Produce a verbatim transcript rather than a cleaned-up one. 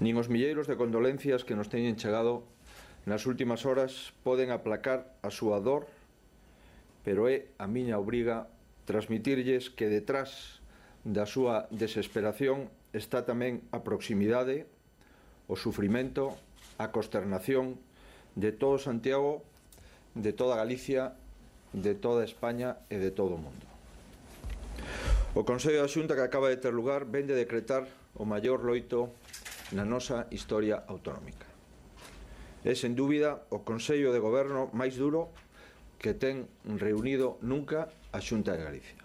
Nin os milleiros de condolencias que nos teñen chegado nas últimas horas poden aplacar a súa dor, pero é a miña obriga transmitirlles que detrás da súa desesperación está tamén a proximidade, o sufrimento, a consternación de todo Santiago, de toda Galicia, de toda España e de todo o mundo. O Consello da Xunta que acaba de ter lugar ven de decretar o maior loito na nosa historia autonómica. É, sen dúbida, o Consello de Goberno máis duro que ten reunido nunca a Xunta de Galicia.